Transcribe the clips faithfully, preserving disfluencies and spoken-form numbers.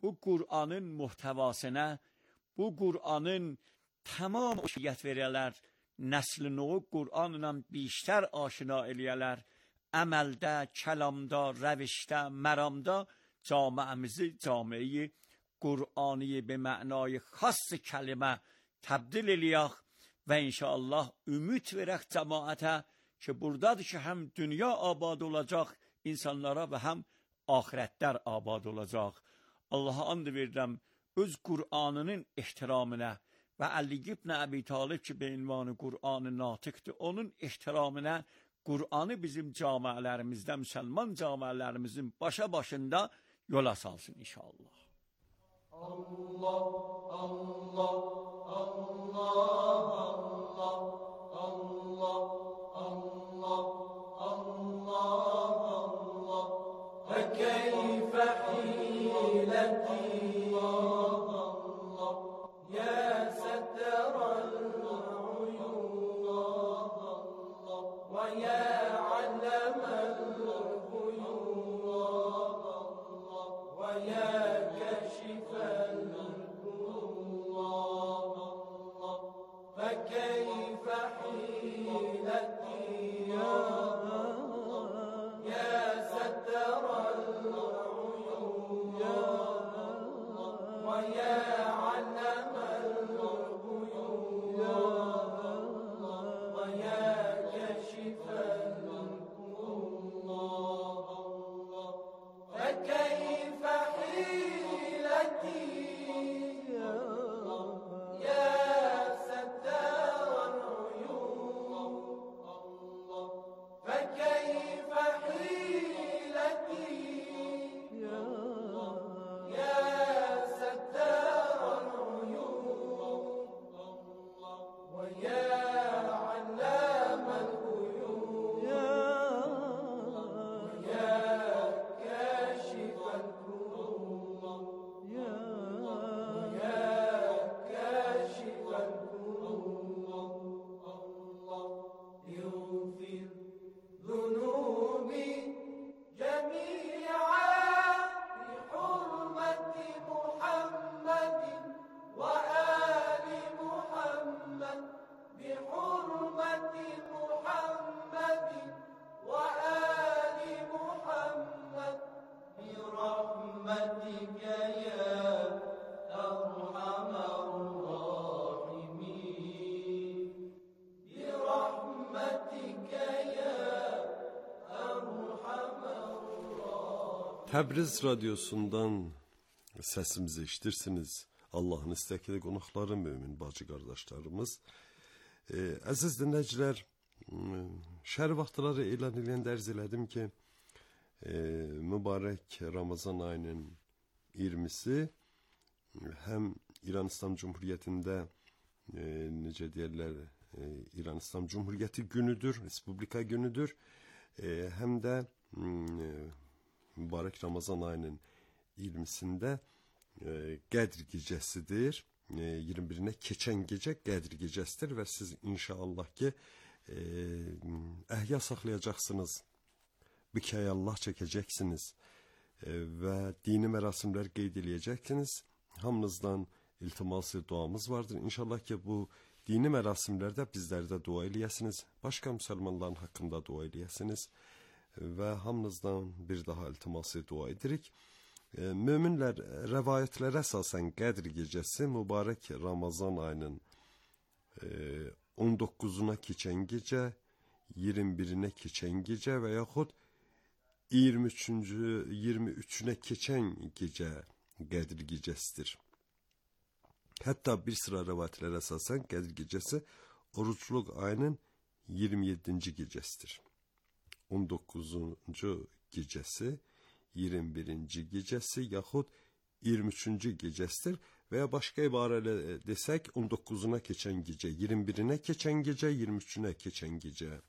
bu Kur'anın muhtevasına, bu Kur'anın tamam oşiyyət verələr, nəslini o Kur'anla biştər aşina eləyələr, əməldə, kəlamda, rəvişdə, məramda camiəmizi camiəyi Kur'an'ı be mənayı xas kəlimə təbdil eləyək və inşallah ümid verək cəmaətə ki, buradadır ki, həm dünya abad olacaq insanlara və həm ahirətlər abad olacaq. Allah'a and verirəm, öz Kur'an'ının ehtiramına və Ali ibn Əbi Talib ki, be ünvanı Kur'an-ı Natiqdir, onun ehtiramına Kur'an'ı bizim camiələrimizdə, müsəlman camiələrimizin başa başında yola salsın inşallah. Allah, Allah, Allah, Allah, Allah, Allah, Allah, Allah, ve keyfe hileti, Allah, ya setteral uyun, Allah, ve ya allemel uyun, Allah, ve ya فكيف حيلتي يا يا ستر العيون ويا علم الغيوب ويا كشف الكروب فكيف حيلتي Təbriz radyosundan səsimizi eşidirsiniz. Allahın istəkli qonaqları, mümin bacı qardaşlarımız. E, əziz dinləyicilər, şəhər vaxtları elan eləyəndə ərz elədim ki, e, mübarək Ramazan ayının iyirmisi həm İran İslam Cumhuriyyətində e, necə deyərlər, e, İran İslam Cumhuriyyəti günüdür, Respublika günüdür. E, həm də e, mübarək Ramazan ayının iyirmisində e, Qədr gecəsidir. E, iyirmi birinə keçən gecə Qədr gecəsidir və siz inşallah ki e, əhya saxlayacaqsınız, bikəyallah çəkəcəksiniz e, və dini mərasimlər qeyd eləyəcəksiniz. Hamınızdan iltiması duamız vardır. İnşallah ki bu dini mərasimlərdə bizlərdə dua eləyəsiniz, başqa müsəlmanların haqqında dua eləyəsiniz. Və hamınızdan bir daha iltiması dua edirik. E, müminlər rəvayətlərə əsasən Qədr gecəsi mübarək Ramazan ayının e, on doqquzuna keçən gecə, iyirmi birinə keçən gecə və yaxud iyirmi üçüncü, iyirmi üçünə keçən gecə Qədr gecəsidir. Hətta bir sıra rəvayətlərə əsasən Qədr gecəsi orucluq ayının iyirmi yeddinci gecəsidir. on doqquzuncu gecəsi, iyirmi birinci gecəsi yaxud iyirmi üçüncü gecəsidir və ya başqa ibarələ desək on doqquzuna keçən gecə, iyirmi birinə keçən gecə, iyirmi üçünə keçən gecə.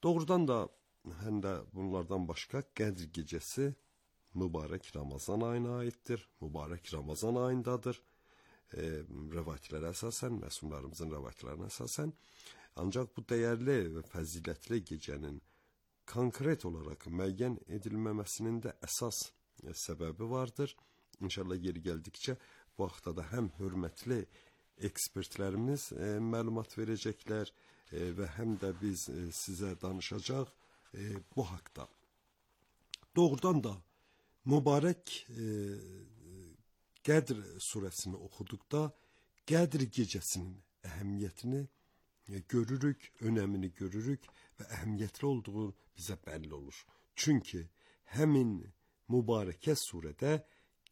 Doğrudan da həm də bunlardan başqa Qədr gecəsi mübarək Ramazan ayına aiddir, mübarək Ramazan ayındadır. E, rəvayətlərə əsasən, məsumlarımızın rəvayətlərinə əsasən, ancaq bu dəyərli və fəzilətli gecənin konkret olaraq müəyyən edilməməsinin də əsas e, səbəbi vardır. İnşallah yeri gəldikcə bu haqda da həm hörmətli ekspertlərimiz e, məlumat verəcəklər e, və həm də biz e, sizə danışacaq e, bu haqda. Doğrudan da mübarək e, Qədr surəsini oxuduqda Qədr gecəsinin əhəmiyyətini e, görürük, önəmini görürük və əhəmiyyətli olduğu bizə bəlli olur. Çünki həmin mübarəkə surədə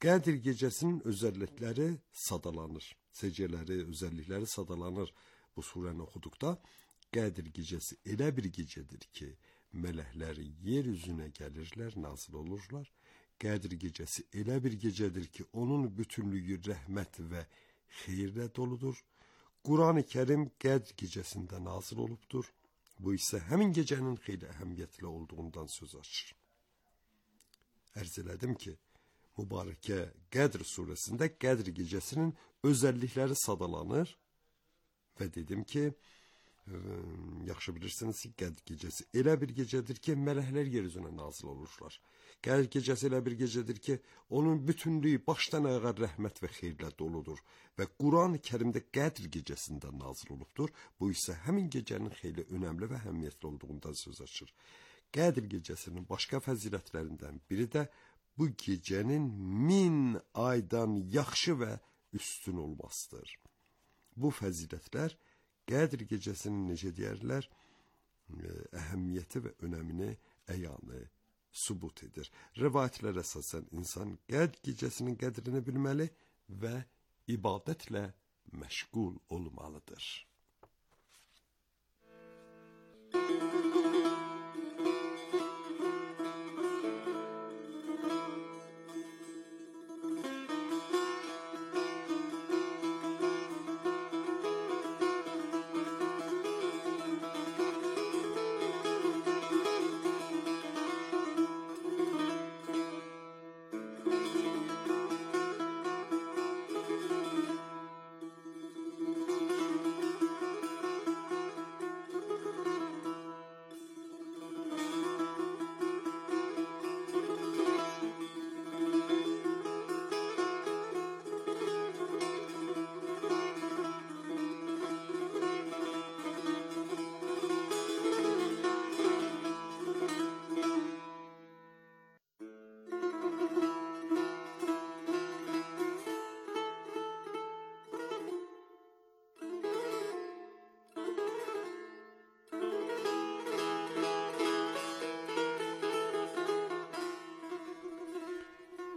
Qədr gecəsinin özəllikləri sadalanır. Secələri, özəllikləri sadalanır. Bu surəni oxuduqda Qədr gecəsi elə bir gecədir ki, mələklər yer üzünə gəlirlər, nazil olurlar. Qədr gecəsi elə bir gecədir ki, onun bütünlüyü rəhmət və xeyirlə doludur. Quran-ı Kərim Qədr gecəsində nazil olubdur. Bu isə həmin gecənin xeyli əhəmiyyətli olduğundan söz açır. Ərz elədim ki, mübarəkə Qədr surəsində Qədr gecəsinin özəllikləri sadalanır və dedim ki, ə, yaxşı bilirsiniz ki, Qədr gecəsi elə bir gecədir ki, mələklər yer üzünə nazil olurlar. Qədr gecəsi elə bir gecədir ki, onun bütünlüyü başdan ayağa rəhmət və xeyirlə doludur və Quran-ı Kərimdə Qədr gecəsində nazil olubdur. Bu isə həmin gecənin xeyli önəmli və əhəmiyyətli olduğundan söz açır. Qədr gecəsinin başqa fəzilətlərindən biri də bu gecənin min aydan yaxşı və üstün olmasıdır. Bu fəzilətlər Qədr gecəsinin necə deyərlər, əhəmiyyəti və önəmini əyanı sübut edir. Rivayətlərə əsasən insan Qədr gecəsinin qədrini bilməli və ibadətlə məşğul olmalıdır.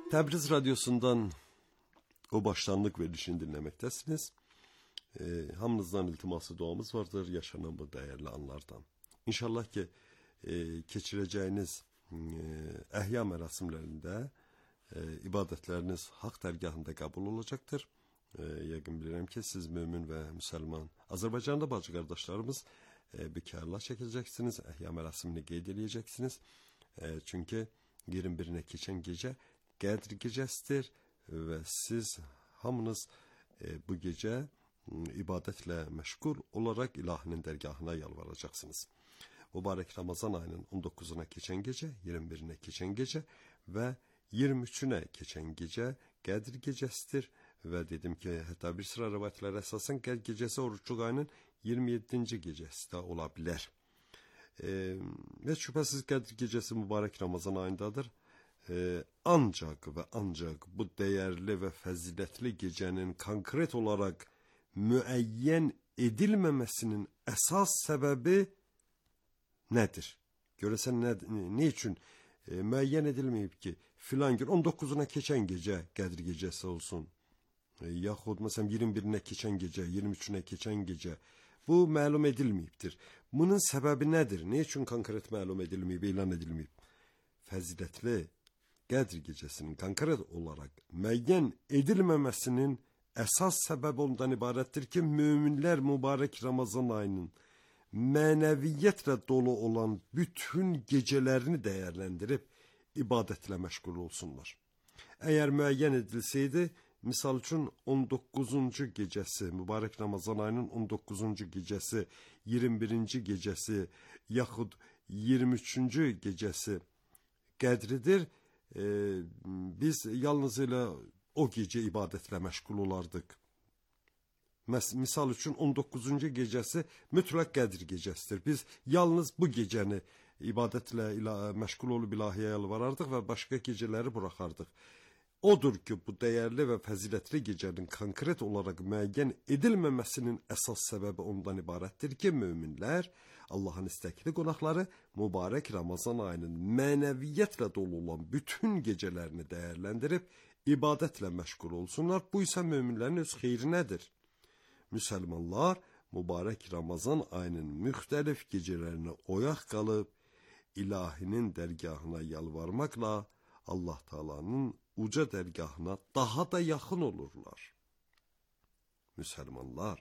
Təbriz Radyosu'ndan o başlanlıq verilişini dinləməkdəsiniz. E, hamınızdan iltiması duamız vardır yaşanan bu dəyərli anlardan. İnşallah ki, e, keçirəcəyiniz e, əhya mərasimlərində e, ibadətləriniz haqq dərgahında qəbul olacaqdır. E, yəqin bilirəm ki, siz mömin və müsəlman Azərbaycanda bacı qardaşlarımız e, bikarla çəkəcəksiniz, əhya mərasimini qeyd edəcəksiniz. E, çünki iyirmi birinə keçən gecə Qədr gecəsidir və siz hamınız e, bu gecə ibadətlə məşğul olaraq ilahinin dərgahına yalvaracaqsınız. Mübarək Ramazan ayının on doqquzuna keçən gecə, iyirmi birinə keçən gecə və iyirmi üçünə keçən gecə Qədr gecəsidir və dedim ki, hətta bir sıra rivayətlərə əsasən Qədr gecəsi oruçluq ayının iyirmi yeddinci gecəsi də ola bilər. E, və şübhəsiz Qədr gecəsi mübarək Ramazan ayındadır. Ee, ancaq və ancaq bu dəyərli və fəzilətli gecənin konkret olaraq müəyyən edilməməsinin əsas səbəbi nədir? Görəsən nə, nə üçün e, müəyyən edilməyib ki, filan gün on doqquzuna keçən gecə Qədr gecəsi olsun, e, yaxud məsələn iyirmi birinə keçən gecə, iyirmi üçünə keçən gecə, bu məlum edilməyibdir. Bunun səbəbi nədir? Nə üçün konkret məlum edilməyib, elan edilməyib? Fəzilətli Qədr gecəsinin konkret olaraq müəyyən edilməməsinin əsas səbəbi ondan ibarətdir ki, möminlər mübarək Ramazan ayının mənəviyyətlə dolu olan bütün gecələrini dəyərləndirib ibadətlə məşğul olsunlar. Əgər müəyyən edilsəydi, misal üçün on doqquzuncu gecəsi, mübarək Ramazan ayının on doqquzuncu gecəsi, iyirmi birinci gecəsi, yaxud iyirmi üçüncü gecəsi qədridir. Ee, biz yalnız elə o gecə ibadətlə məşğul olardıq. Misal üçün on doqquzuncu gecəsi mütləq Qədr gecəsidir. Biz yalnız bu gecəni ibadətlə məşğul olub ilahiyə yalvarardıq və başqa gecələri buraxardıq. Odur ki, bu dəyərli və fəzilətli gecənin konkret olaraq müəyyən edilməməsinin əsas səbəbi ondan ibarətdir ki, möminlər, Allahın istəkli qonaqları mübarək Ramazan ayının mənəviyyətlə dolu olan bütün gecələrini dəyərləndirib, ibadətlə məşğul olsunlar. Bu isə möminlərin öz xeyrinədir. Müsəlmanlar mübarək Ramazan ayının müxtəlif gecələrinə oyaq qalıb, ilahinin dərgahına yalvarmaqla Allah Taala'nın uca dərgahına daha da yaxın olurlar. Müsəlmanlar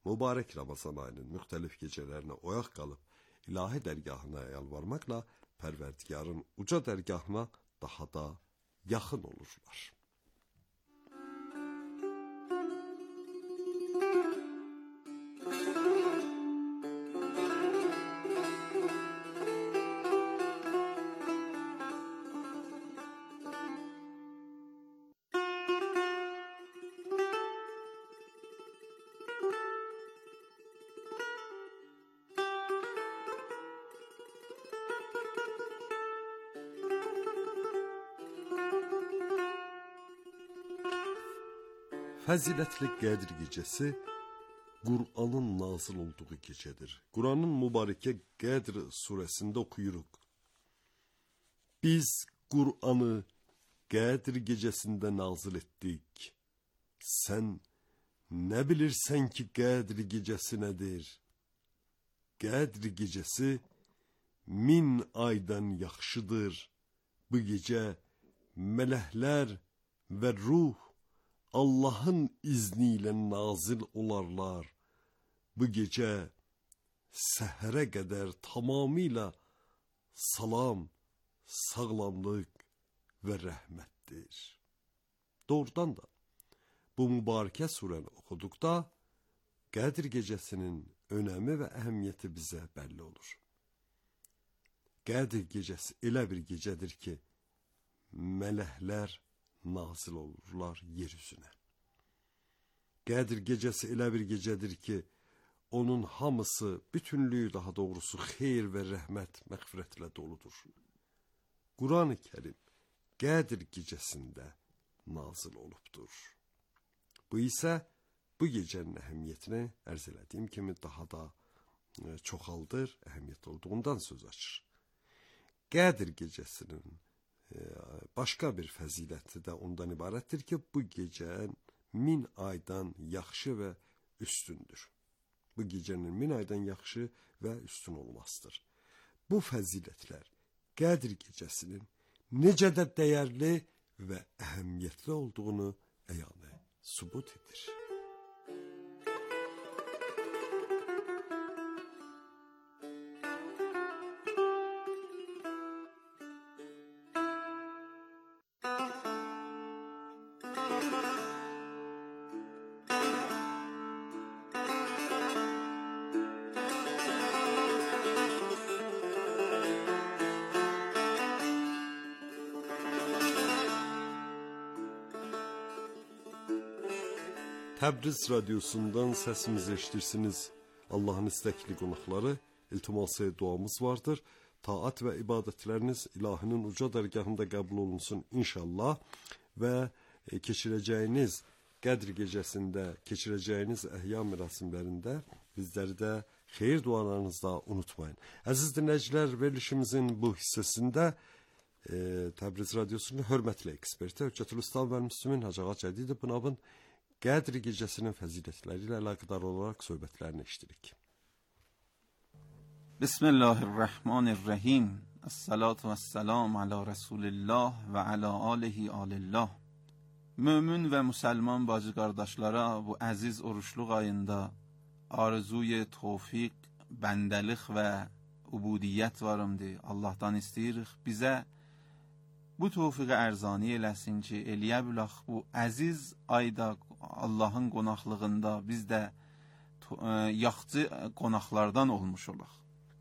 mübarək Ramazan ayının müxtəlif gecələrinə oyaq qalıb, ilahi dərgahına yalvarmaqla Pərverdigarın uca dərgahına daha da yaxın olurlar. Fəzilətli Qədr gecəsi Qur'anın nazil olduğu gecədir. Qur'anın mübarəkə Qədr surəsində oxuyuruq. Biz Qur'anı Qədr gecəsində nazil etdik. Sən nə bilirsən ki, Qədr gecəsi nədir? Qədr gecəsi min aydan yaxşıdır. Bu gecə mələklər və ruh Allahın izni ilə nazil olarlar. Bu gecə səhərə qədər tamamilə salam, sağlamlıq və rəhmətdir. Doğrudan da bu mübarəkə surəni oxuduqda Qədr gecəsinin önəmi və əhəmiyyəti bizə bəlli olur. Qədr gecəsi elə bir gecədir ki, mələklər nazil olurlar yeryüzünə. Qədr gecəsi elə bir gecədir ki, onun hamısı, bütünlüyü daha doğrusu xeyir və rəhmət, məğfirətlə doludur. Quran-ı Kərim Qədr gecəsində nazil olubdur. Bu isə bu gecənin əhəmiyyətini ərz elədiyim kimi daha da çoxaldır, əhəmiyyət olduğundan söz açır. Qədr gecəsinin başqa bir fəziləti də ondan ibarətdir ki, bu gecə min aydan yaxşı və üstündür. Bu gecənin min aydan yaxşı və üstün olmasıdır. Bu fəzilətlər Qədr gecəsinin necə də dəyərli və əhəmiyyətli olduğunu əyanə sübut edir. Təbriz radyosundan səsimizi eşitirsiniz. Allahın istəkli qonaqları, iltiması duamız vardır. Taat və ibadətləriniz ilahinin uca dərgahında qəbul olunsun inşallah və keçirəcəyiniz Qədr gecəsində, keçirəcəyiniz əhya mərasimlərində bizləri də xeyir dualarınızda unutmayın. Əziz dinləyicilər, verilişimizin bu hissəsində e, Təbriz radyosunun hörmətli eksperti Hüccətül Üstad və Müslümin Hacı Ağa Cədid Bınabın Qədr gecəsinin fəzilətləri ilə əlaqədar olaraq söhbətlərini eşitirik. Bismillahirrahmanirrahim. Esselatu vesselam ala Resulillah və ala alihi alillah. Mömin və müsəlman bacı qardaşlara bu əziz oruçluq ayında arzuy tevfik, bəndəlik və ubudiyyət varımdır. Allahdan istəyirik bizə bu tevfiqi ərzani eləsin ki, eləyə bilək bu əziz ayda Allahın qonaqlığında biz də yaxçı qonaqlardan olmuş olaq.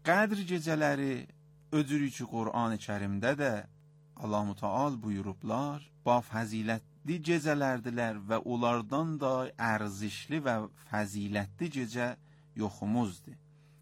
Qədr gecələri öcürü ki, Qur'an-ı Kərimdə də Allah-u Teala buyurublar, ba fəzilət fəzilətli gecələrdirlər və onlardan da ərzişli və fəzilətli gecə yoxumuzdur.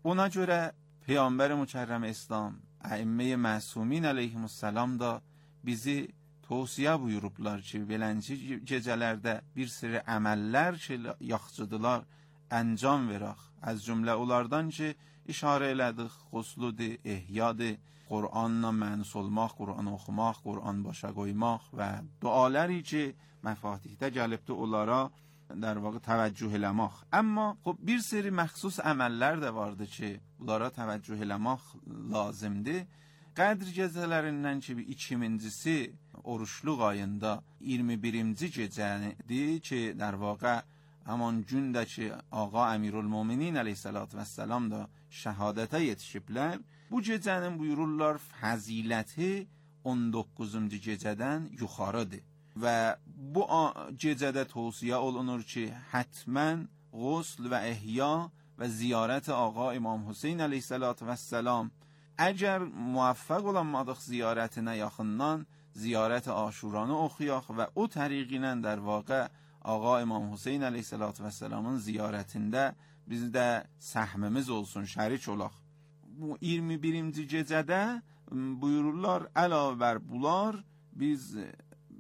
Ona görə Peyğəmbər Mükərrəm İslam, Əimmə-i Məsumin əleyhimussalam da bizi tövsiyə buyurublar ki, beləncə gecələrdə bir sürü əməllər ki, yaxşıdılar, əncam verək. Az cümlə onlardan ki, işarə elədik, xusludur, ehyadır, Qur'anla mənus olmaq, Qur'an oxumaq, Qur'an başa qoymaq və duaları ki, məfatihdə gəlibdir, onlara در واقع توجه eləmək. Amma xub bir seri məxsus əməllər də vardı ki, bunlara təvəccüh eləmək lazımdır. Qədr gecələrindən ki, ikincisi oruçluq ayında iyirmi birinci gecədir ki, در واقع həman gündə ki, Ağa Əmirülmüminin əleyhissalatü vəssalam da şəhadətə yetişiblər. Bu gecənin buyururlar fəziləti on doqquzuncu gecədən yuxarıdır. Və bu gecədə tövsiyə olunur ki, hətmən qusl və ehya və ziyarət Ağa İmam Hüseyn əleyhissalatü vəssalam, əgər muvaffəq olanmadıq ziyarətinə yaxından, ziyarət Aşuranı oxuyaq və o təriqinə در واقع Ağa İmam Hüseyn əleyhissalatü vəssalamın ziyarətində bizdə səhmimiz olsun, şərik olaq. Bu iyirmi birinci gecədə buyururlar, əlavə bər bunlar biz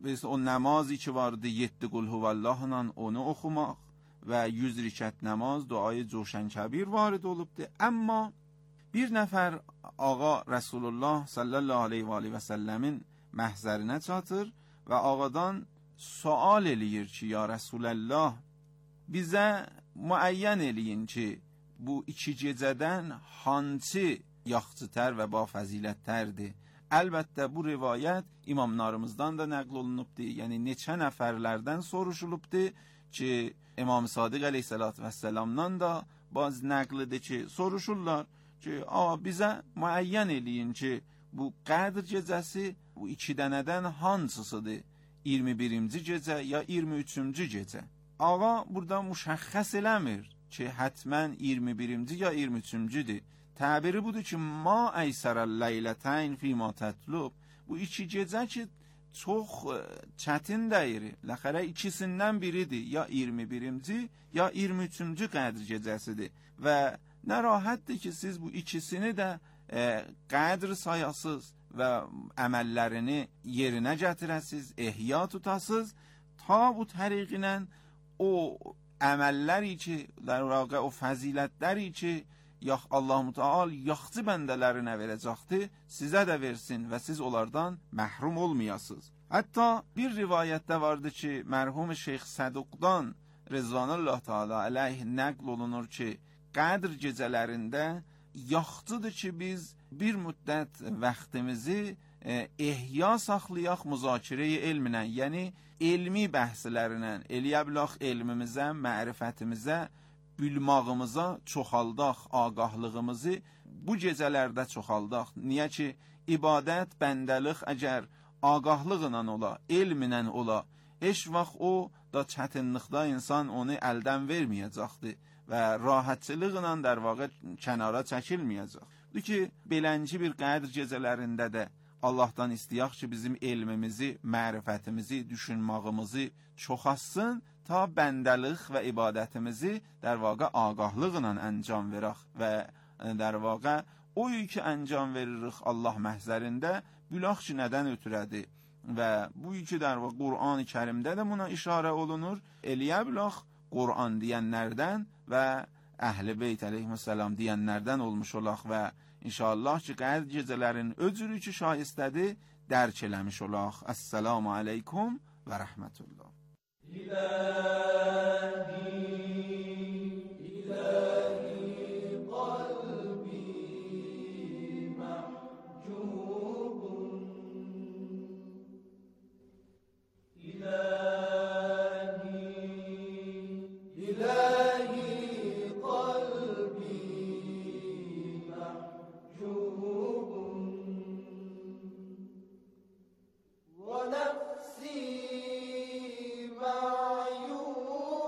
biz o namazı ki vardı yedi qul huvallahla onu oxumaq və yüz rükət namaz, duayı Cuşən Kəbir varid olubdur. Amma bir nəfər Ağa Rasulullah sallallahu aleyhi və aleyhi və səlləmin məhzərinə çatır və ağadan sual eləyir ki, ya Rasulallah, bizə müəyyən eləyin ki, bu iki gecədən hansı yaxçıtər və ba fəzilətlərdir? Əlbəttə bu rivayət imamlarımızdan da nəql olunubdur. Yəni neçə nəfərlərdən soruşulubdur ki, İmam Sadiq əleyhissalatü vəssalamdan da baz nəqlidir ki, soruşurlar ki, a bizə müəyyən eləyin ki, bu Qədr gecəsi bu iki dənədən hansısıdır? iyirmi birinci gecə ya iyirmi üçüncü gecə? Ağa burada müşəxəs eləmir ki, hətmən iyirmi birinci ya iyirmi üçüncüdür. Təbiri budur ki, ma əysərəl leylətəyn fîmâ tətlub. Bu iki gecə ki, çox çətin deyir. Ləxərə ikisindən biridir. Ya iyirmi birinci ya iyirmi üçüncü Qədr gecəsidir. Və nə rahatdır ki, siz bu ikisini də e, Qədr sayasız və əməllərini yerinə gətirəsiz, ehya tutasız, ta bu təriqinə o əməlləri ki, در واقع o fəzilətləri ki, yax Allah-u Teala yaxçı bəndələrinə verəcəkdir, sizə də versin və siz onlardan məhrum olmayasınız. Hətta bir rivayətdə vardı ki, mərhum Şeyx Səduqdan Rızvanullah Teala əleyh nəql olunur ki, Qədr gecələrində yaxçıdır ki, biz bir müddət vaxtimizi e, ehya saxlayaq müzakirə-i elminə, yəni elmi bəhslərinə, eləyə bilək elmimizə, mərifətimizə, bilmağımıza çoxaldaq, ağahlığımızı bu gecələrdə çoxaldaq. Niyə ki, ibadət, bəndəlik əgər ağahlıqla ola, elminə ola, heç vaxt o da çətinlikdə insan onu əldən verməyəcəkdir və rahatçılıqla در واقع kənara çəkilməyəcək. Bu ki, belənci bir Qədr gecələrində də Allahdan istəyək ki, bizim elmimizi, mərifətimizi, düşünmağımızı çoxassın, ta bəndəlik və ibadətimizi در واقع ağahlıqla əncam verək və در واقع o ki əncam veririk Allah məhzərində, bilək ki, nədən ötürədir və bu ki در واقع Qur'an-ı Kərimdə də buna işarə olunur, eləyə bilək Qur'an deyənlərdən və Əhl-i Beyt əleyhissalam deyənlərdən olmuş olaq və inşallah ki, Qədr gecələrin öcürü ki şayistədir, dərk eləmiş olaq. Əssəlamu aleykum və rəhmətullah. İlahi, ilahi qalbi mahcubun. İlahi, ilahi qalbi mahcubun. Ve nefsi معيوب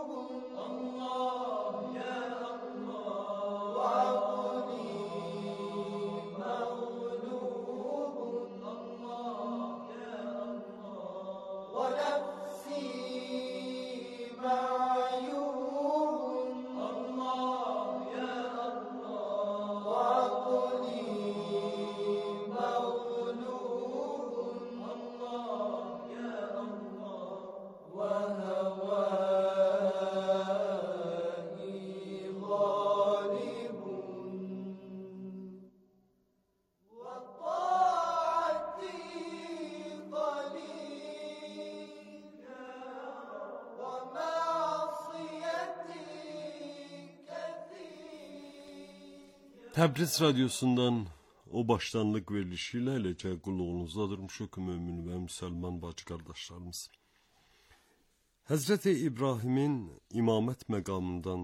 Təbriz Radyosu'ndan o başlanlık verilişiyle eləcə qulluğunuzdadır müşük mümin və müsəlman bacı qardaşlarımız. Həzrəti İbrahimin imamət məqamından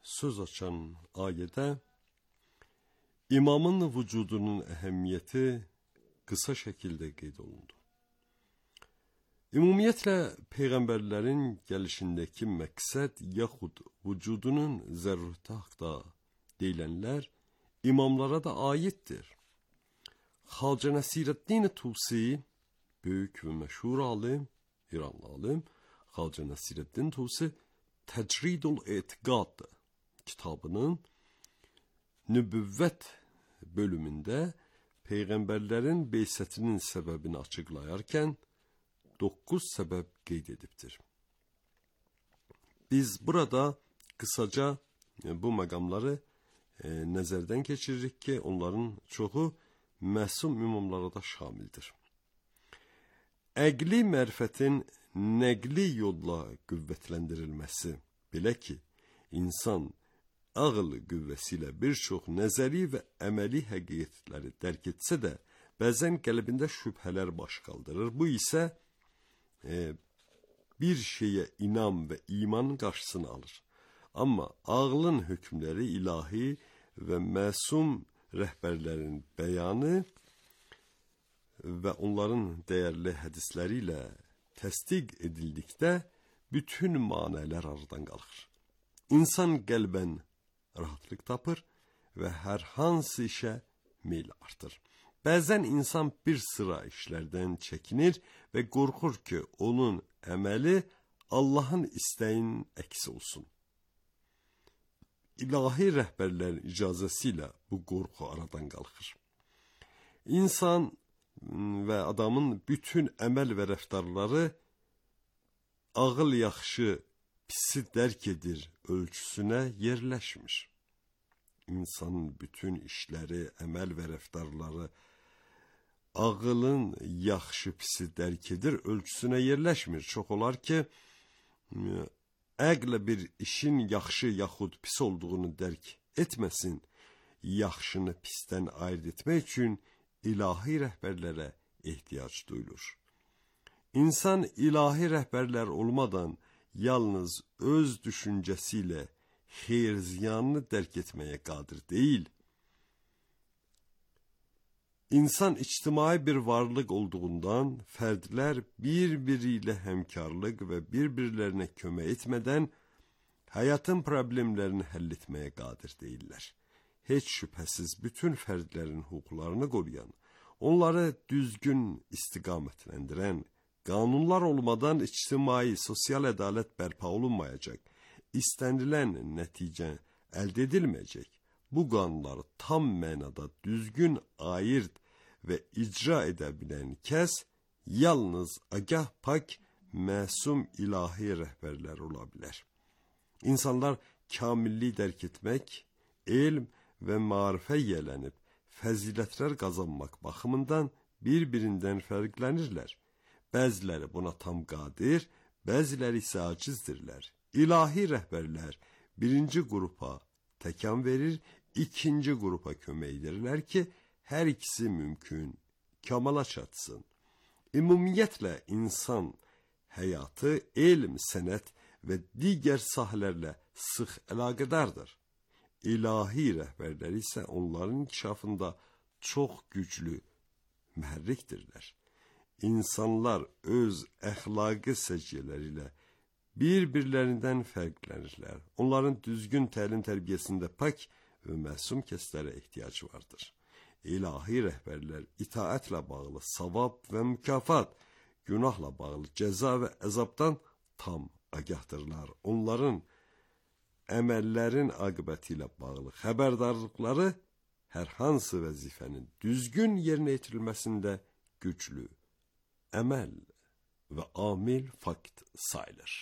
söz açan ayədə imamın vücudunun əhəmiyyəti qısa şəkildə qeyd olundu. Ümumiyyətlə peyğəmbərlərin gəlişindəki məqsəd yaxud vücudunun zərurəti haqda deyilənlər imamlara da aiddir. Xacə Nəsirəddin Tusi, böyük və məşhur alim, İranlı alim, Xacə Nəsirəddin Tusi Təcridul Etiqad kitabının nübüvvət bölümündə peyğəmbərlərin beysətinin səbəbini açıqlayarkən dokuz səbəb qeyd edibdir. Biz burada qısaca bu məqamları e, nəzərdən keçiririk ki, onların çoxu məsum imamlara da şamildir. Əqli mərifətin nəqli yolla qüvvətləndirilməsi, belə ki, insan ağıl qüvvəsi ilə bir çox nəzəri və əməli həqiqətləri dərk etsə də, bəzən qəlbində şübhələr baş qaldırır. Bu isə e, bir şeyə inam və imanın qarşısını alır. Amma ağlın hökmləri ilahi və məsum rəhbərlərin bəyanı və onların dəyərli hədisləri ilə təsdiq edildikdə bütün manələr aradan qalxır. İnsan qəlbən rahatlıq tapır və hər hansı işə meyl artır. Bəzən insan bir sıra işlərdən çəkinir və qorxur ki, onun əməli Allahın istəyinin əksi olsun. İlahi rəhbərlərin icazəsi ilə bu qorxu aradan qalxır. İnsan və adamın bütün əməl və rəftarları ağıl yaxşı, pisi dərk edir ölçüsünə yerləşmir. İnsanın bütün işləri, əməl və rəftarları ağılın yaxşı, pisi dərk edir ölçüsünə yerləşmir. Çox olar ki, əqlə bir işin yaxşı yaxud pis olduğunu dərk etməsin, yaxşını pisdən ayırt etmək üçün ilahi rəhbərlərə ehtiyac duyulur. İnsan ilahi rəhbərlər olmadan yalnız öz düşüncəsi ilə xeyir ziyanını dərk etməyə qadir deyil. İnsan ictimai bir varlıq olduğundan fərdlər bir-biri ilə həmkarlıq və bir-birlərinə kömək etmədən həyatın problemlərini həll etməyə qadir deyirlər. Heç şübhəsiz bütün fərdlərin hüquqlarını qoruyan, onları düzgün istiqamətləndirən qanunlar olmadan ictimai, sosial ədalət bərpa olunmayacaq, istənilən nəticə əldə edilməyəcək. Bu qanunları tam mənada düzgün ayırt və icra edə bilən kəs yalnız agah pak, məsum ilahi rəhbərlər ola bilər. İnsanlar kamillik dərk etmək, elm və marifə yiyələnib fəzilətlər qazanmaq baxımından bir-birindən fərqlənirlər. Bəziləri buna tam qadir, bəziləri isə acizdirlər. İlahi rəhbərlər birinci qrupa təkan verir, ikinci qrupa kömək edirlər ki, hər ikisi mümkün, kamala çatsın. Ümumiyyətlə, insan həyatı, elm, sənət və digər sahələrlə sıx əlaqədardır. İlahi rəhbərlər isə onların inkişafında çox güclü mühərrikdirlər. İnsanlar öz əxlaqi səciyyələri ilə bir-birlərindən fərqlənirlər. Onların düzgün təlim tərbiyəsində pak və məsum kəslərə ehtiyac vardır. İlahi rəhbərlər itaətlə bağlı savab və mükafat, günahla bağlı cəza və əzabdan tam agahdırlar. Onların əməllərin aqibəti ilə bağlı xəbərdarlıqları hər hansı vəzifənin düzgün yerinə yetirilməsində güclü əməl və amil fakt sayılır.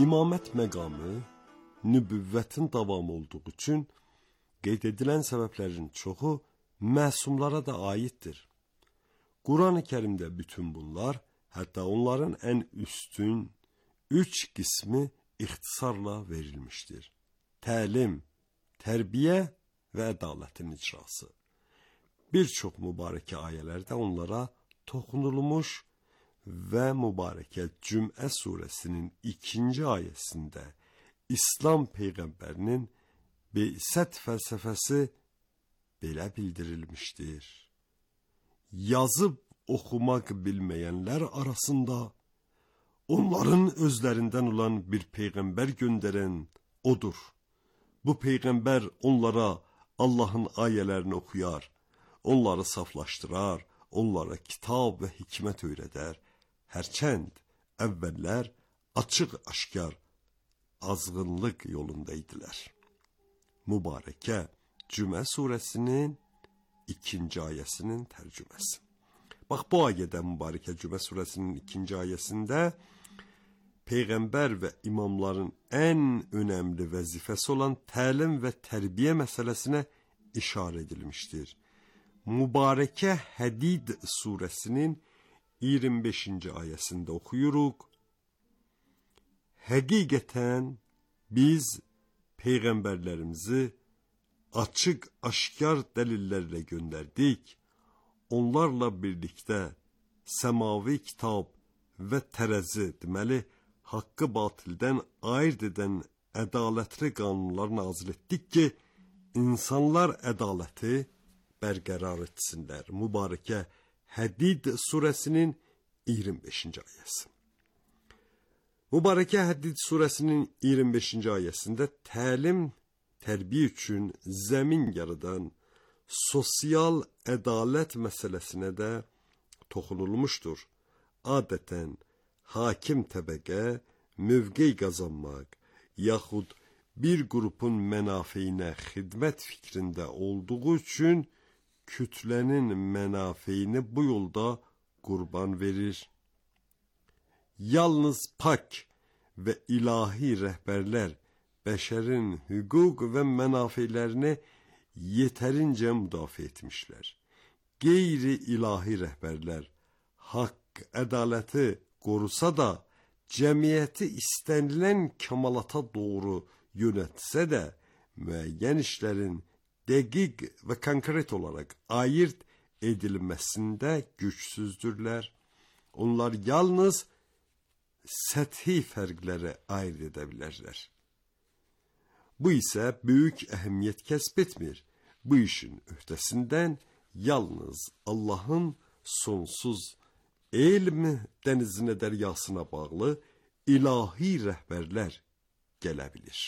İmamət məqamı nübüvvətin davamı olduğu üçün qeyd edilən səbəblərin çoxu məsumlara da aiddir. Quran-ı Kərimdə bütün bunlar, hətta onların ən üstün üç qismi ixtisarla verilmişdir. Təlim, tərbiyə və ədalətin icrası. Bir çox mübarəkə ayələrdə onlara toxunulmuş və mübarəkə Cümə surəsinin ikinci ayəsində İslam Peyğəmbərinin Beysət fəlsəfəsi belə bildirilmişdir. Yazıb oxumaq bilməyənlər arasında onların özlərindən olan bir Peyğəmbər göndərən odur. Bu Peyğəmbər onlara Allahın ayələrini oxuyar, onları saflaşdırar, onlara kitab və hikmət öyrədər. Hərçənd əvvəllər açıq-aşkar azğınlıq yolunda idilər. Mübarəkə Cümə surəsinin ikinci ayəsinin tərcüməsi. Bax, bu ayədə mübarəkə Cümə surəsinin ikinci ayəsində Peyğəmbər və imamların ən önəmli vəzifəsi olan təlim və tərbiyə məsələsinə işarə edilmişdir. Mübarəkə Hədid surəsinin iyirmi beşinci ayəsində oxuyuruq. Həqiqətən biz Peyğəmbərlərimizi açıq, aşkar dəlillərlə göndərdik. Onlarla birlikdə səmavi kitab və tərəzi, deməli, haqqı batildən ayırt edən ədalətli qanunlar nazil etdik ki, insanlar ədaləti bərqərar etsinlər. Mübarəkə Hədid surəsinin iyirmi beşinci ayəsi. Mübarəkə Hədid surəsinin iyirmi beşinci ayəsində təlim, tərbiyə üçün zəmin yaradan sosial ədalət məsələsinə də toxunulmuşdur. Adətən hakim təbəqə mövqey qazanmaq yaxud bir qrupun mənafeyinə xidmət fikrində olduğu üçün kütlənin mənafeyini bu yolda qurban verir. Yalnız pak və ilahi rəhbərlər bəşərin hüquq və mənafeylərini yetərincə müdafiə etmişlər. Qeyri-ilahi rəhbərlər haqq, ədaləti qorusa da, cəmiyyəti istənilən kəmalata doğru yönətsə də, müəyyən işlərin dəqiq və konkret olaraq ayırt edilməsində gücsüzdürlər. Onlar yalnız səthi fərqləri ayırt edə bilərlər. Bu isə böyük əhəmiyyət kəsb etmir. Bu işin öhdəsindən yalnız Allahın sonsuz elm dənizinə, dəryasına bağlı ilahi rəhbərlər gələ bilir.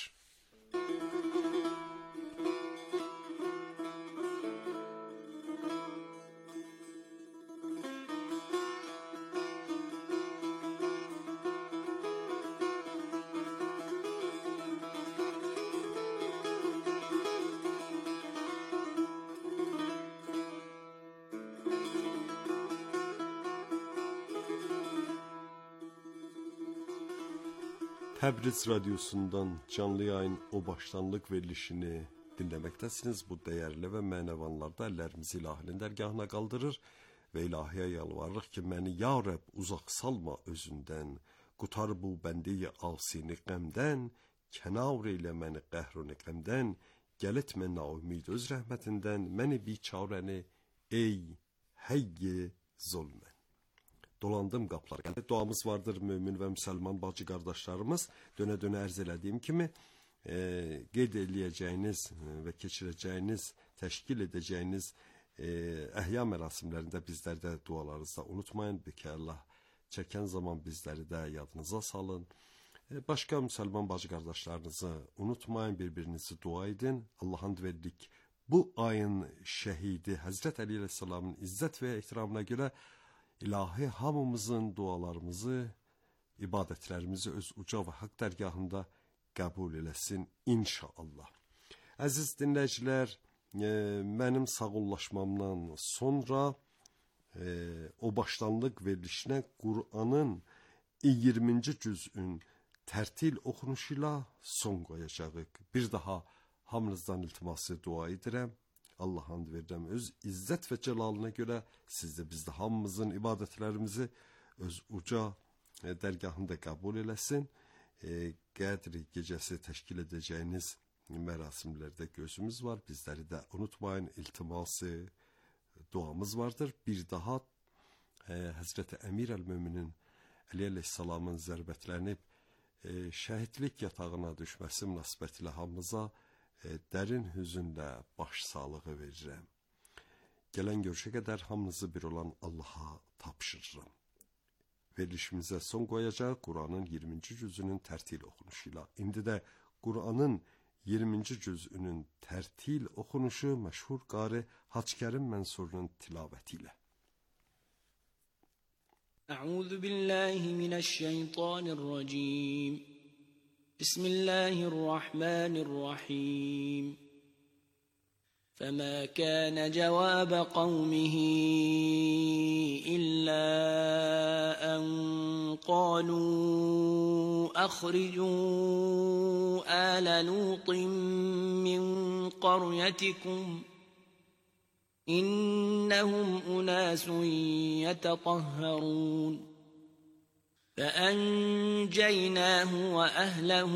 Təbriz Radyosu'ndan canlı yayın o başlanlıq verilişini dinləməkdəsiniz. Bu dəyərli və mənəvanlarda əllərimizi ilahinin dərgahına qaldırır və ilahiyə yalvarırıq ki, məni ya Rəbb uzaq salma özündən, qutar bu bəndiyi asini qəmdən, kənar eylə məni qəhruni qəmdən, gəl etmə naumid öz rəhmətindən, məni biçarəni ey həyyi zulmən. Dolandım qapılar. Yəni, duamız vardır mümin və müsəlman bacı qardaşlarımız. Dönə-dönə ərz elədiyim kimi e, qeyd eləyəcəyiniz və keçirəcəyiniz, təşkil edəcəyiniz e, əhya mərasimlərində bizlərdə dualarınızda unutmayın. Bəlkə Allah çəkən zaman bizləri də yadınıza salın. E, başqa müsəlman bacı qardaşlarınızı unutmayın, bir-birinizi dua edin. Allah'ın verdik bu ayın şəhidi Həzrət Əli əleyhissalamın izzət və ehtiramına görə İlahi hamımızın dualarımızı, ibadətlərimizi öz uca və haqq dərgahında qəbul eləsin inşallah. Əziz dinləyicilər, e, mənim sağollaşmamdan sonra e, o başlanlıq verilişinə Qur'anın iyirminci cüzün tərtil oxunuşuyla son qoyacağıq. Bir daha hamınızdan iltiması dua edirəm. Allah and verirəm öz izzət və cəlalına görə siz də biz də hamımızın ibadətlərimizi öz uca e, dərgahında qəbul eləsin. E, Qədri gecəsi təşkil edəcəyiniz mərasimlərdə gözümüz var. Bizləri də unutmayın, iltiması duamız vardır. Bir daha e, Həzrəti Əmir əl-Möminin Əli əleyhissalamın zərbətlərini e, şəhidlik yatağına düşməsi münasibətilə hamımıza e, dərin hüzünlə baş sağlığı verirəm. Gələn görüşə qədər hamınızı bir olan Allaha tapşırıram. Verilişimizə son qoyacaq Quranın iyirminci cüzünün tərtil oxunuşuyla. İndi də Quranın iyirminci cüzünün tərtil oxunuşu məşhur qari Hacıkərim Mənsurun tilavəti ilə. أعوذ بالله من الشيطان الرجيم بسم الله الرحمن الرحيم فما كان جواب قومه إلا أن قالوا أخرجوا آل لوط من قريتكم إنهم أناس يتطهرون فأنجيناه وأهله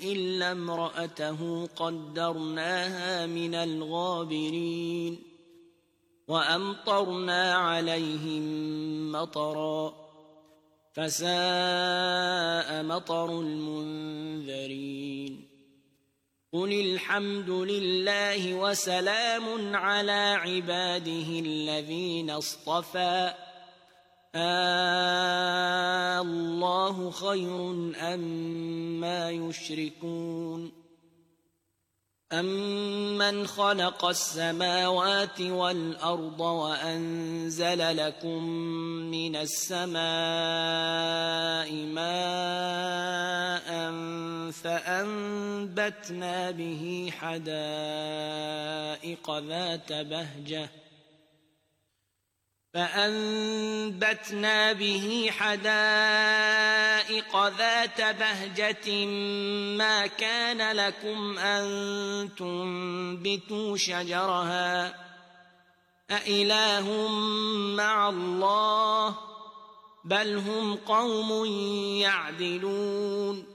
إلا امرأته قدرناها من الغابرين وأمطرنا عليهم مطرا فساء مطر المنذرين قل الحمد لله وسلام على عباده الذين اصطفى آه الله خير أما يشركون أمن خلق السماوات والأرض وأنزل لكم من السماء ماء فأنبتنا به حدائق ذات بهجة فأنبتنا به حدائق ذات بهجة ما كان لكم أن تنبتوا شجرها أإله مع الله بل هم قوم يعدلون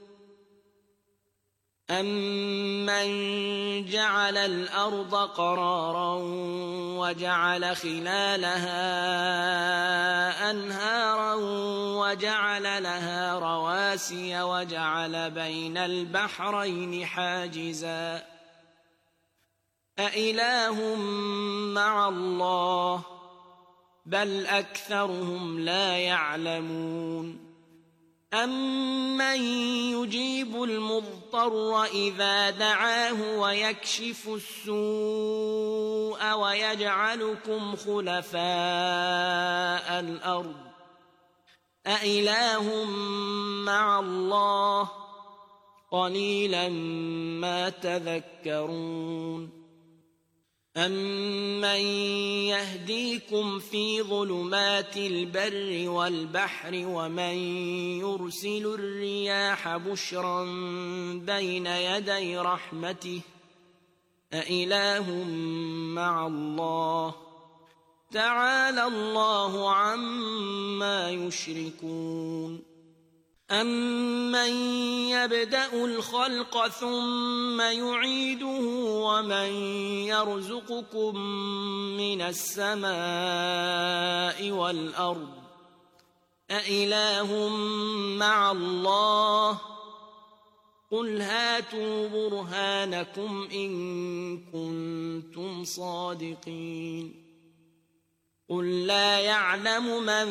أمن جعل الأرض قرارا وجعل خلالها أنهارا وجعل لها رواسي وجعل بين البحرين حاجزا أإله مع الله بل أكثرهم لا يعلمون أمن يجيب المضطر إذا دعاه ويكشف السوء ويجعلكم خلفاء الأرض أإله مع الله قليلا ما تذكرون أمن يهديكم في ظلمات البر والبحر ومن يرسل الرياح بشرا بين يدي رحمته أإله مع الله تعالى الله عما يشركون أمن يبدأ الخلق ثم يعيده ومن يرزقكم من السماء والأرض أإله مع الله قل هاتوا برهانكم إن كنتم صادقين قل لا يعلم من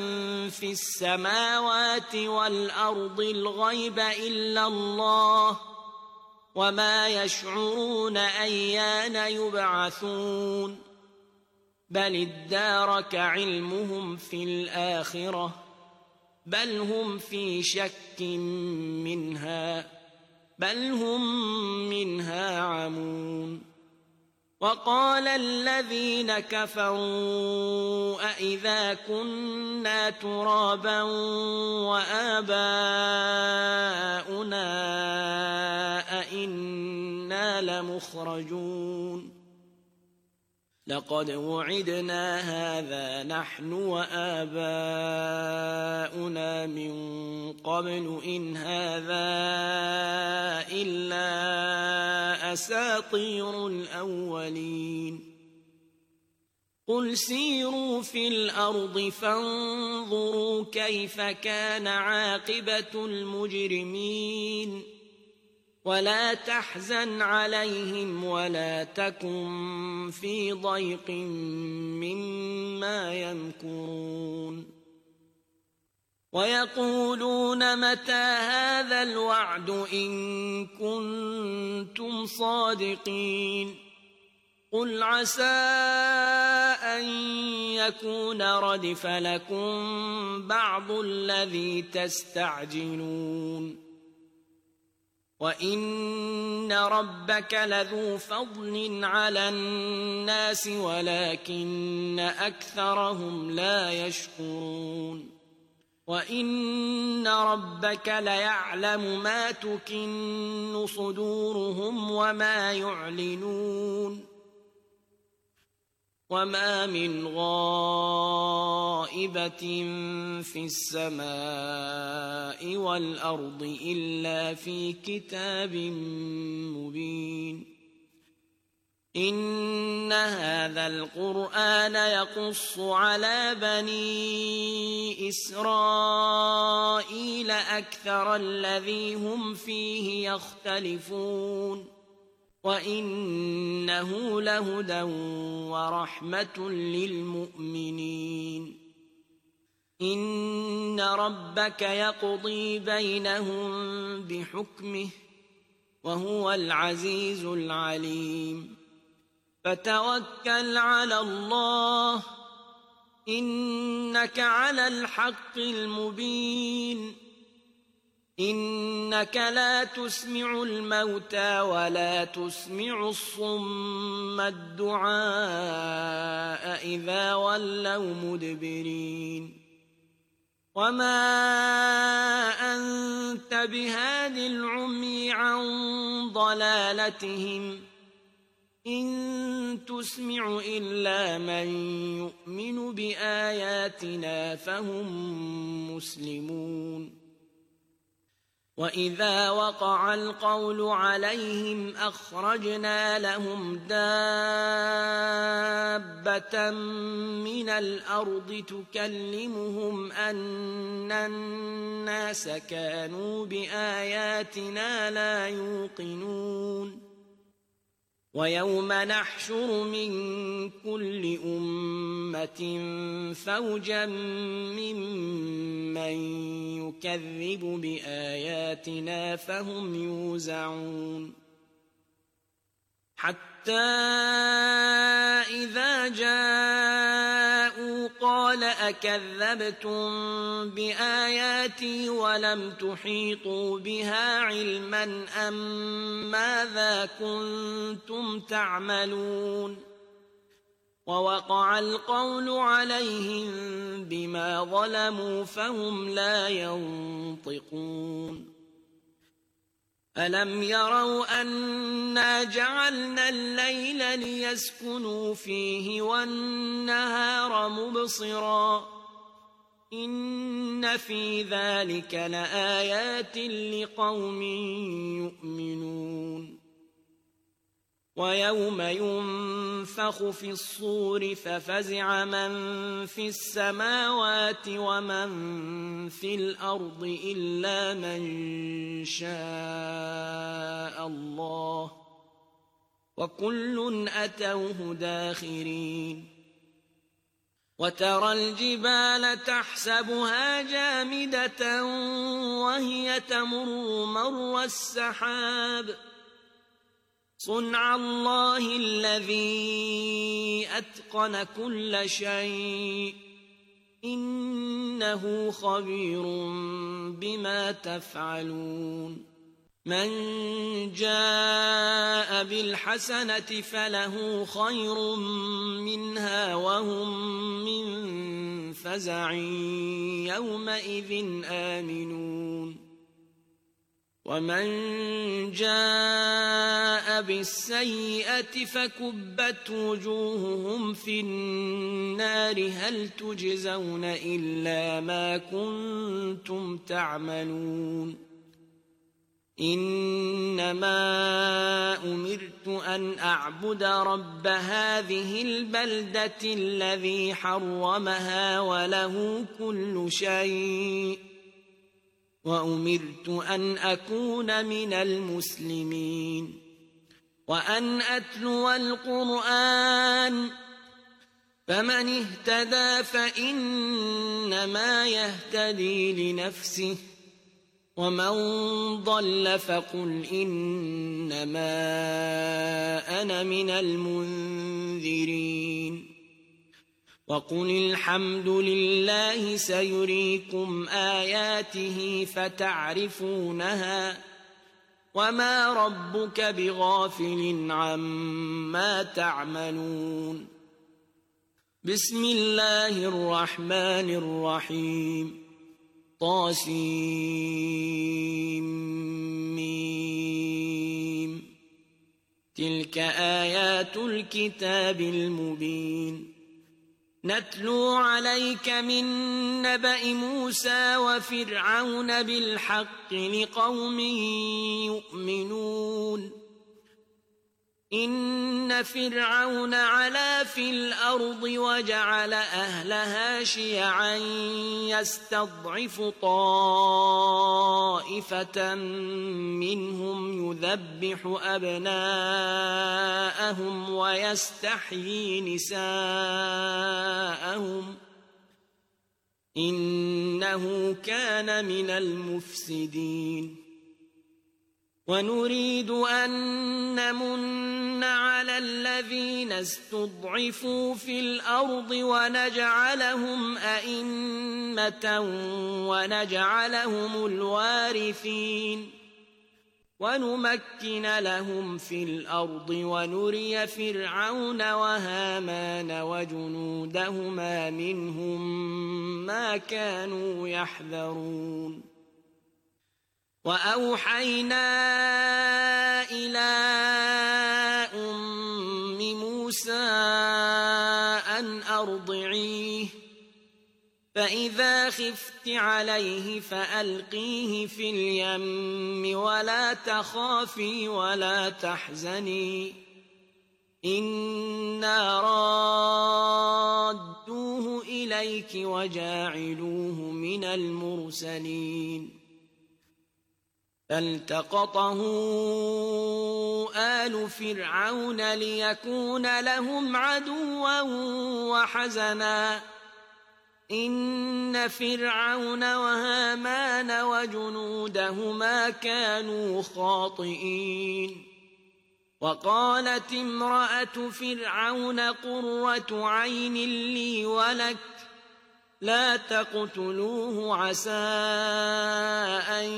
في السماوات والأرض الغيب إلا الله وما يشعرون أيان يبعثون بل ادارك علمهم في الآخرة بل هم في شك منها بل هم منها عمون وقال الذين كفروا أإذا كنا ترابا وآباؤنا أإنا لمخرجون لقد وعدنا هذا نحن وآباؤنا من قبل إن هذا إلا أساطير الأولين قل سيروا في الأرض فانظروا كيف كان عاقبة المجرمين ولا تحزن عليهم ولا تكن في ضيق مما يمكرون ويقولون متى هذا الوعد إن كنتم صادقين قل عسى أن يكون ردف لكم بعض الذي تستعجلون وإن ربك لذو فضل على الناس ولكن أكثرهم لا يشكرون وإن ربك ليعلم ما تكن صدورهم وما يعلنون وما من غائبة في السماء والأرض إلا في كتاب مبين إن هذا القرآن يقص على بني إسرائيل أكثر الذي هم فيه يختلفون وإنه لهدى ورحمة للمؤمنين إن ربك يقضي بينهم بحكمه وهو العزيز العليم فتوكل على الله إنك على الحق المبين إنك لا تسمع الموتى ولا تسمع الصم الدعاء إذا ولوا مدبرين وما أنت بهاد العمي عن ضلالتهم إن تسمع إلا من يؤمن بآياتنا فهم مسلمون وإذا وقع القول عليهم أخرجنا لهم دابة من الأرض تكلمهم أن الناس كانوا بآياتنا لا يوقنون ويوم نحشر من كل أمة فوجا ممن يكذب بآياتنا فهم يوزعون حتى إذا جاءوا قال أكذبتم بآياتي ولم تحيطوا بها علما أم ماذا كنتم تعملون ووقع القول عليهم بما ظلموا فهم لا ينطقون ألم يروا أنا جعلنا الليل ليسكنوا فيه والنهار مبصرا إن في ذلك لآيات لقوم يؤمنون ويوم ينفخ في الصور ففزع من في السماوات ومن في الأرض إلا من شاء الله وكل أتوه داخرين وترى الجبال تحسبها جامدة وهي تمر مر السحاب صنع الله الذي أتقن كل شيء إنه خبير بما تفعلون من جاء بالحسنة فله خير منها وهم من فزع يومئذ آمنون ومن جاء بالسيئة فكبت وجوههم في النار هل تجزون إلا ما كنتم تعملون إنما أمرت أن أعبد رب هذه البلدة الذي حرمها وله كل شيء وأمرت أن أكون من المسلمين وأن أتلو القرآن فمن اهتدى فإنما يهتدي لنفسه ومن ضل فقل إنما أنا من المنذرين وقل الحمد لله سيريكم آياته فتعرفونها وما ربك بغافل عما تعملون بسم الله الرحمن الرحيم طاسيم تلك آيات الكتاب المبين نتلو عليك من نبأ موسى وفرعون بالحق لقوم يؤمنون إن فرعون علا في الأرض وجعل أهلها شيعا يستضعف طائفة منهم يذبح أبناءهم ويستحيي نساءهم إنه كان من المفسدين ونريد أن نمن على الذين استضعفوا في الأرض ونجعلهم أئمة ونجعلهم الوارثين ونمكن لهم في الأرض ونري فرعون وهامان وجنودهما منهم ما كانوا يحذرون وأوحينا إلى أم موسى أن أرضعيه فإذا خفت عليه فألقيه في اليم ولا تخافي ولا تحزني إنا رادوه إليك وجاعلوه من المرسلين فالتقطه آل فرعون ليكون لهم عدوا وحزنا إن فرعون وهامان وجنودهما كانوا خاطئين وقالت امرأة فرعون قرة عين لي ولك لا تقتلوه عسى أن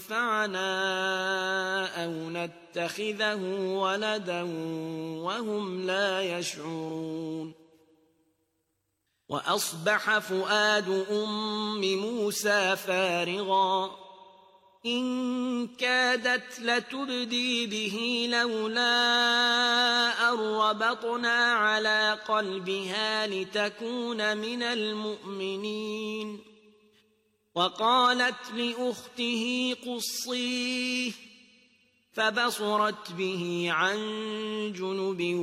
ينفعنا أو نتخذه ولدا وهم لا يشعرون وأصبح فؤاد أم موسى فارغا إن كادت لتبدي به لولا أن ربطنا على قلبها لتكون من المؤمنين وقالت لأخته قصيه فبصرت به عن جنب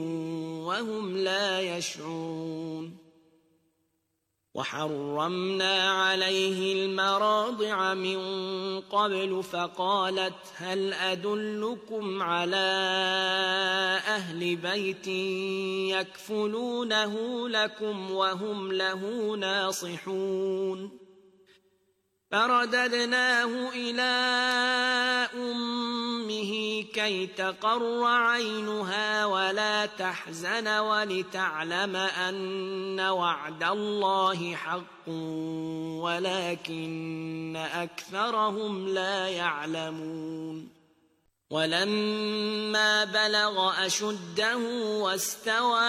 وهم لا يشعرون وحرمنا عليه المراضع من قبل فقالت هل أدلكم على أهل بيت يكفلونه لكم وهم له ناصحون فرددناه إلى أمه كي تقر عينها ولا تحزن ولتعلم أن وعد الله حق ولكن أكثرهم لا يعلمون ولما بلغ أشده واستوى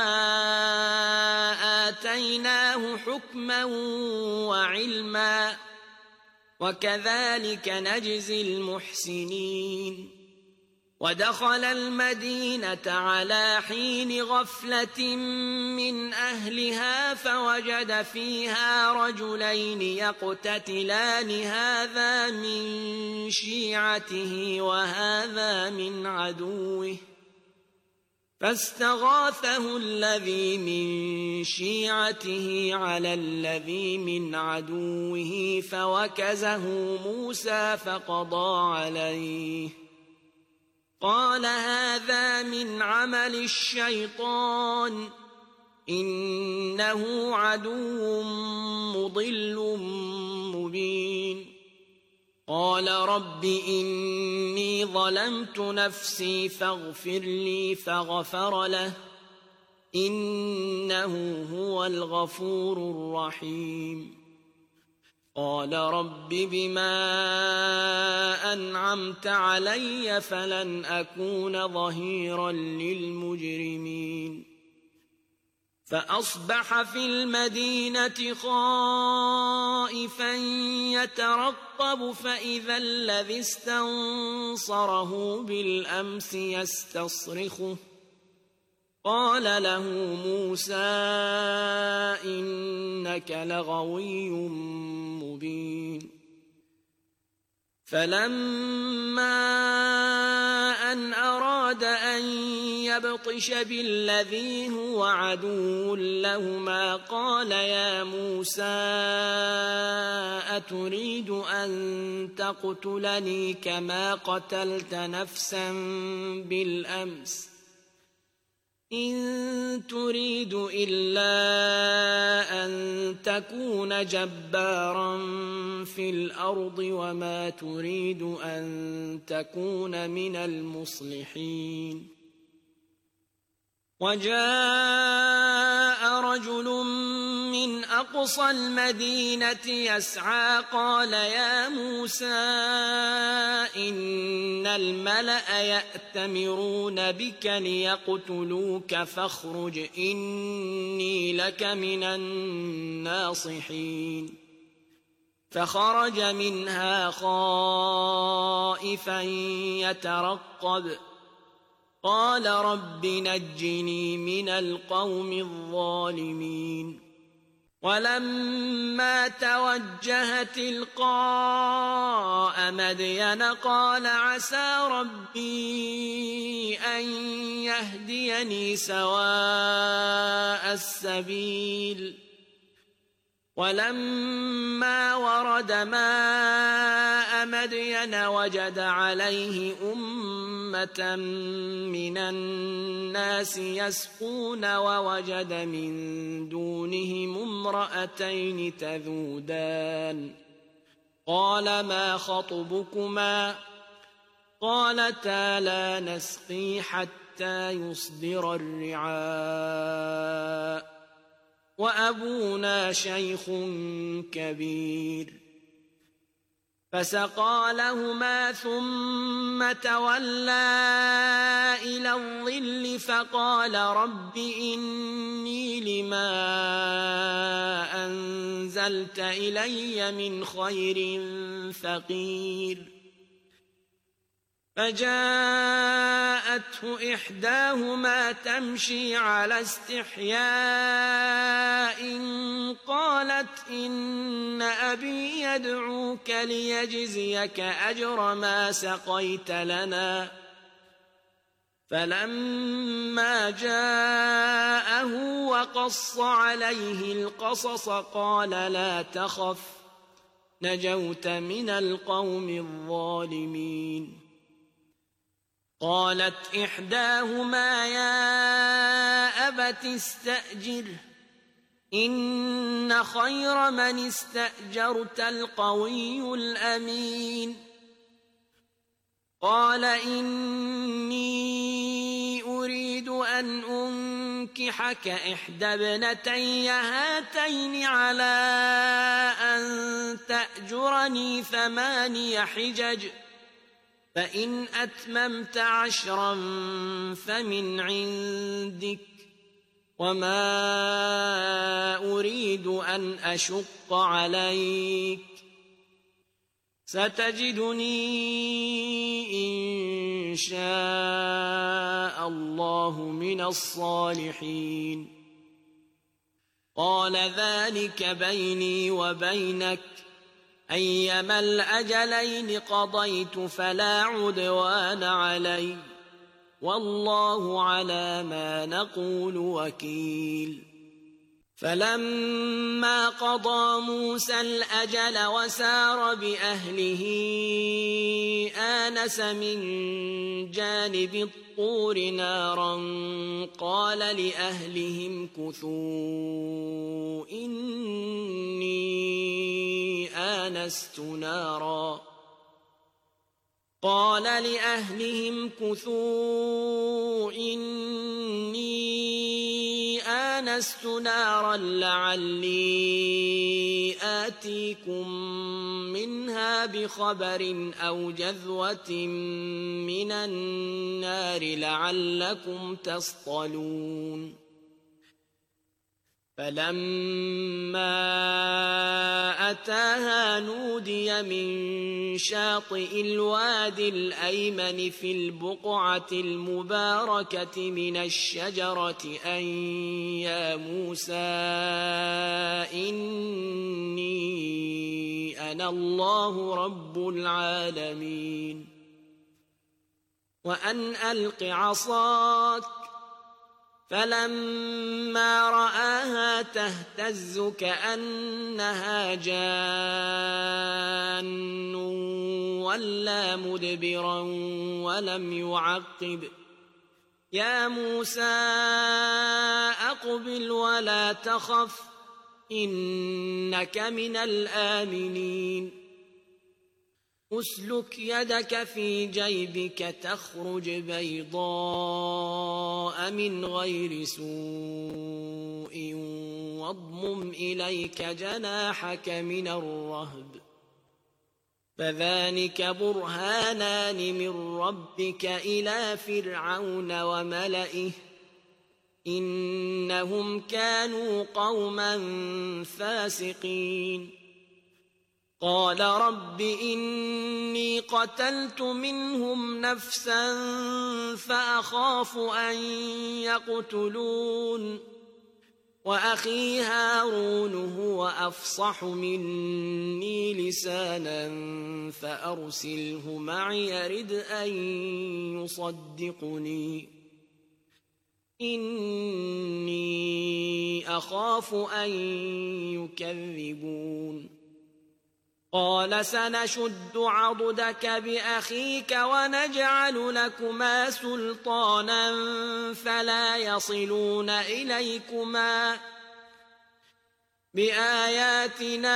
آتيناه حكما وعلما وكذلك نجزي المحسنين ودخل المدينة على حين غفلة من أهلها فوجد فيها رجلين يقتتلان هذا من شيعته وهذا من عدوه فاستغاثه الذي من شيعته على الذي من عدوه فوكزه موسى فقضى عليه قال هذا من عمل الشيطان إنه عدو مضل مبين قال رب إني ظلمت نفسي فاغفر لي فغفر له إنه هو الغفور الرحيم قال رب بما أنعمت علي فلن أكون ظهيرا للمجرمين فأصبح في المدينة خائفا يترقب فإذا الذي استنصره بالأمس يستصرخه قال له موسى إنك لغوي مبين فلما أن أراد أن يبطش بالذي هو عدو لهما قال يا موسى أتريد أن تقتلني كما قتلت نفسا بالأمس إن تريد إلا أن تكون جبارا في الأرض وما تريد أن تكون من المصلحين وجاء رجل من أقصى المدينة يسعى قال يا موسى إن الملأ يأتمرون بك ليقتلوك فاخرج إني لك من الناصحين فخرج منها خائفا يترقب قال رب نجني من القوم الظالمين ولما توجه تلقاء مدين قال عسى ربي أن يهديني سواء السبيل ولما ورد ماء مدين وجد عليه أمة من الناس يسقون ووجد من دونهم امرأتين تذودان قال ما خطبكما قالتا لا نسقي حتى يصدر الرعاء وأبونا شيخ كبير فسقى لهما ثم تولى إلى الظل فقال رب إني لما أنزلت إلي من خير فقير فجاءته إحداهما تمشي على استحياء قالت إن أبي يدعوك ليجزيك أجر ما سقيت لنا فلما جاءه وقص عليه القصص قال لا تخف نجوت من القوم الظالمين قالت إحداهما يا أبت استأجره إن خير من استأجرت القوي الأمين قال إني أريد أن أنكحك إحدى ابنتي هاتين على أن تأجرني ثماني حجج فإن أتممت عشرا فمن عندك وما أريد أن أشق عليك ستجدني إن شاء الله من الصالحين قال ذلك بيني وبينك أيما الأجلين قضيت فلا عدوان علي والله على ما نقول وكيل فلما قضى موسى الأجل وسار بأهله آنس من جانب الطور نارا قال لأهلهم كثوا إني آنست نارا قال لأهلهم كثوا إني آنست نارا لعلي آتيكم منها بخبر أو جذوة من النار لعلكم تصطلون فلما أتاها نودي من شاطئ الوادي الأيمن في البقعة المباركة من الشجرة أن يا موسى إني أنا الله رب العالمين وأن ألق عصاك فلما رآها تهتز كأنها جان ولا مدبرا ولم يعقب يا موسى أقبل ولا تخف إنك من الآمنين أسلك يدك في جيبك تخرج بيضاء من غير سوء واضمم إليك جناحك من الرهب فذلك برهانان من ربك إلى فرعون وملئه إنهم كانوا قوما فاسقين قال رب إني قتلت منهم نفسا فأخاف أن يقتلون وأخي هارون هو أفصح مني لسانا فأرسله معي يرد أن يصدقني إني أخاف أن يكذبون قال سنشد عضدك بأخيك ونجعل لكما سلطانا فلا يصلون إليكما بآياتنا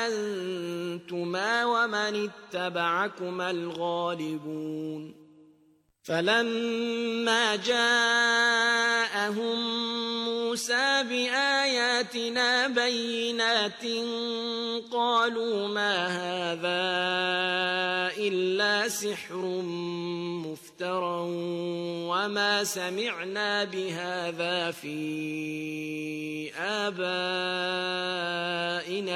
أنتما ومن اتبعكما الغالبون فلما جاءهم موسى بآياتنا بينات قالوا ما هذا إلا سحر مفترى وما سمعنا بهذا في آبائنا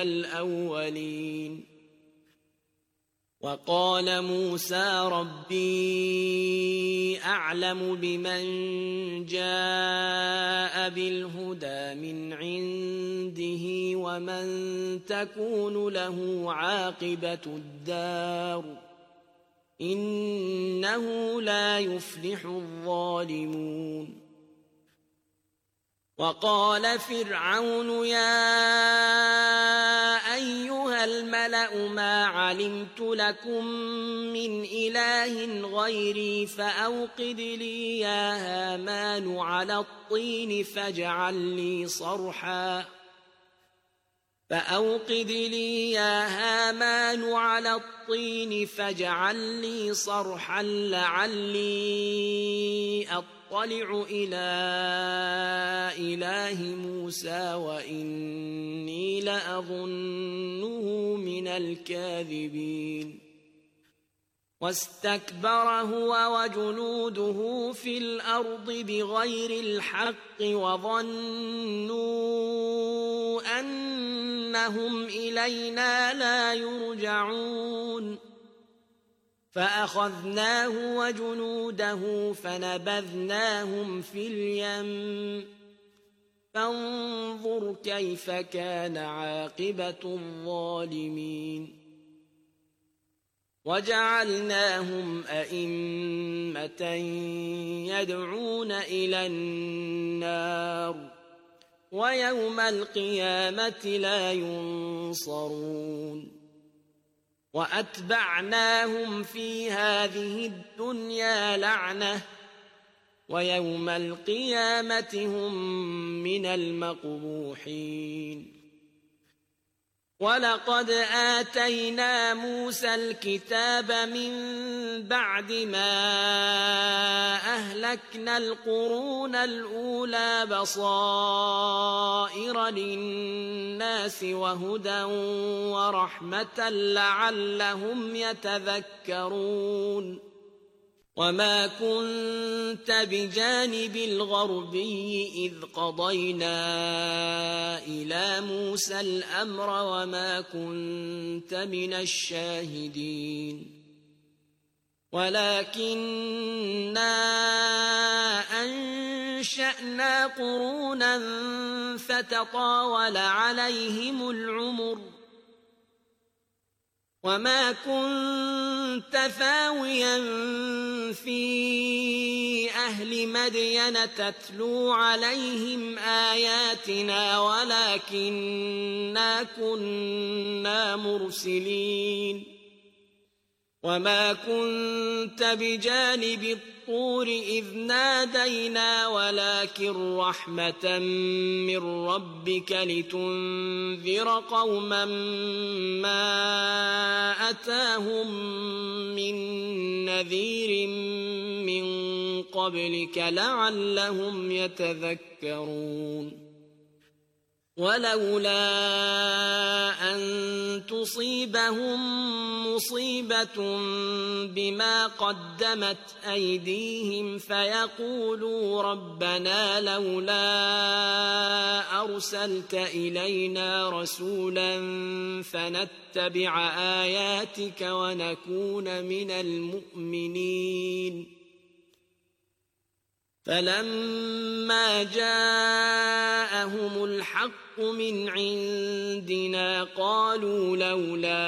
الأولين وقال موسى ربي أعلم بمن جاء بالهدى من عنده ومن تكون له عاقبة الدار إنه لا يفلح الظالمون وقال فرعون يا أيها الملأ ما علمت لكم من إله غيري فأوقد لي يا هامان على الطين فاجعل لي صرحا فأوقد لي يا هامان على الطين فاجعل لي صرحا لعلي أطلع إلى إله موسى وإني لأظنه من الكاذبين واستكبر هو وجنوده في الأرض بغير الحق وظنوا أنهم إلينا لا يرجعون فأخذناه وجنوده فنبذناهم في اليم فانظر كيف كان عاقبة الظالمين وجعلناهم أئمة يدعون إلى النار ويوم القيامة لا ينصرون وأتبعناهم في هذه الدنيا لعنة ويوم القيامة هم من المقبوحين ولقد آتينا موسى الكتاب من بعد ما أهلكنا القرون الأولى بصائر للناس وهدى ورحمة لعلهم يتذكرون وما كنت بجانب الغربي إذ قضينا إلى موسى الأمر وما كنت من الشاهدين ولكننا أنشأنا قرونا فتطاول عليهم العمر وما كنت ثاويا في أهل مدين تتلو عليهم آياتنا ولكننا كنا مرسلين وما كنت بجانب الطور إذ نادينا ولكن رحمة من ربك لتنذر قوما ما أتاهم من نذير من قبلك لعلهم يتذكرون ولولا أن تصيبهم مصيبة بما قدمت أيديهم فيقولوا ربنا لولا أرسلت إلينا رسولا فنتبع آياتك ونكون من المؤمنين فلما جاءهم الحق من عندنا قالوا لولا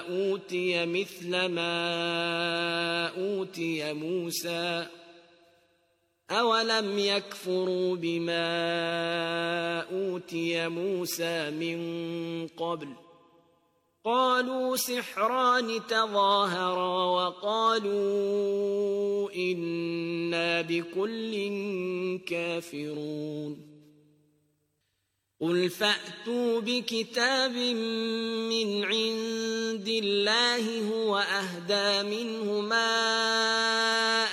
أوتي مثل ما أوتي موسى أولم يكفروا بما أوتي موسى من قبل قالوا سحران تظاهرا وقالوا إنا بكل كافرون قل فأتوا بكتاب من عند الله هو أهدى منه ما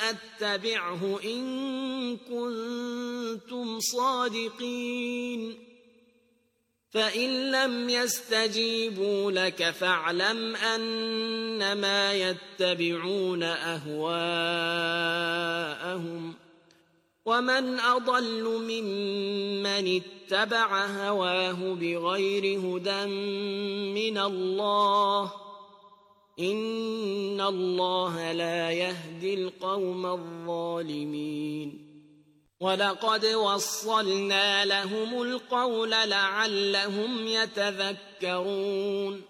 أتبعه إن كنتم صادقين فإن لم يستجيبوا لك فاعلم أنما يتبعون أهواءهم ومن أضل ممن اتبع هواه بغير هدى من الله إن الله لا يهدي القوم الظالمين ولقد وصلنا لهم القول لعلهم يتذكرون